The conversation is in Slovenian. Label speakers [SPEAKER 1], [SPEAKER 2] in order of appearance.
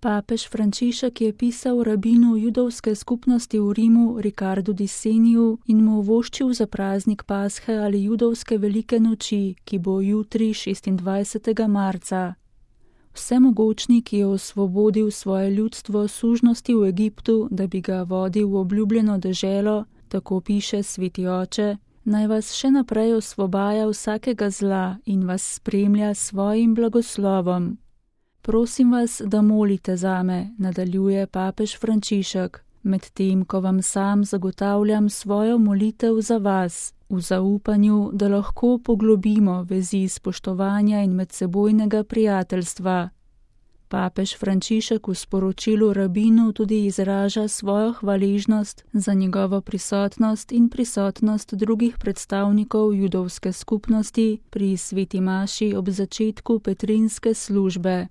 [SPEAKER 1] Papež Frančišek je pisal rabinu judovske skupnosti v Rimu Ricardu di Seniju in mu voščil za praznik Pashe ali judovske velike noči, ki bo jutri 26. marca. Vsemogočni, ki je osvobodil svoje ljudstvo sužnosti v Egiptu, da bi ga vodil v obljubljeno deželo, tako piše sveti oče, naj vas še naprej osvobaja vsakega zla in vas spremlja s svojim blagoslovom. Prosim vas, da molite zame, nadaljuje papež Frančišek, medtem ko vam sam zagotavljam svojo molitev za vas, v zaupanju, da lahko poglobimo vezi spoštovanja in medsebojnega prijateljstva. Papež Frančišek v sporočilu rabinu tudi izraža svojo hvaležnost za njegovo prisotnost in prisotnost drugih predstavnikov judovske skupnosti pri sveti maši ob začetku petrinske službe.